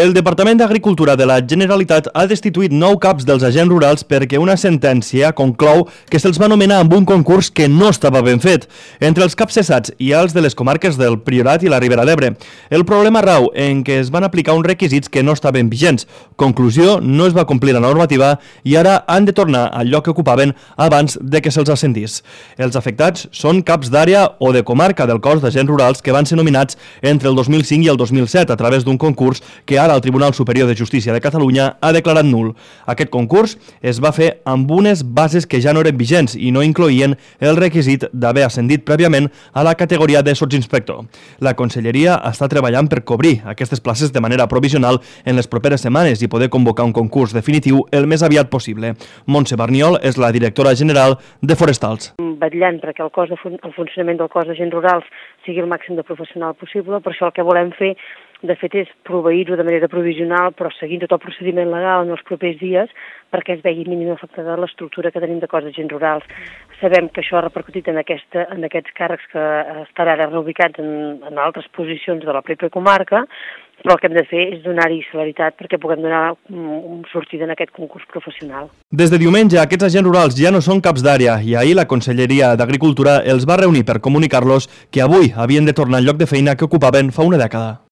El Departament d'Agricultura de la Generalitat ha destituït 9 caps dels agents rurals perquè una sentència conclou que se'ls va nomenar amb un concurs que no estava ben fet. Entre els caps cessats hi ha els de les comarques del Priorat i la Ribera d'Ebre. El problema rau en què es van aplicar uns requisits que no estaven vigents. Conclusió, no es va complir la normativa i ara han de tornar al lloc que ocupaven abans de que se'ls ascendís. Els afectats són caps d'àrea o de comarca del cos d'agents rurals que van ser nominats entre el 2005 i el 2007 a través d'un concurs que ara el Tribunal Superior de Justícia de Catalunya ha declarat nul. Aquest concurs es va fer amb unes bases que ja no eren vigents i no incloïen el requisit d'haver ascendit prèviament a la categoria de sotsinspector. La Conselleria està treballant per cobrir aquestes places de manera provisional en les properes setmanes i poder convocar un concurs definitiu el més aviat possible. Montse Barniol és la directora general de Forestals. Vetllant perquè el funcionament del cos d'agents rurals sigui el màxim de professional possible, per això el que volem fer de fet és proveir-ho de manera provisional, però seguint tot el procediment legal en els propers dies perquè es vegi mínimament afectada l'estructura que tenim de cos d'agents rurals. Sabem que això ha repercutit en aquests càrrecs que estan ara reubicats en altres posicions de la pròpia comarca, però el que hem de fer és donar-hi celeritat perquè puguem donar sortida en aquest concurs professional. Des de diumenge, aquests agents rurals ja no són caps d'àrea i ahir la Conselleria d'Agricultura els va reunir per comunicar-los que avui havien de tornar al lloc de feina que ocupaven fa una dècada.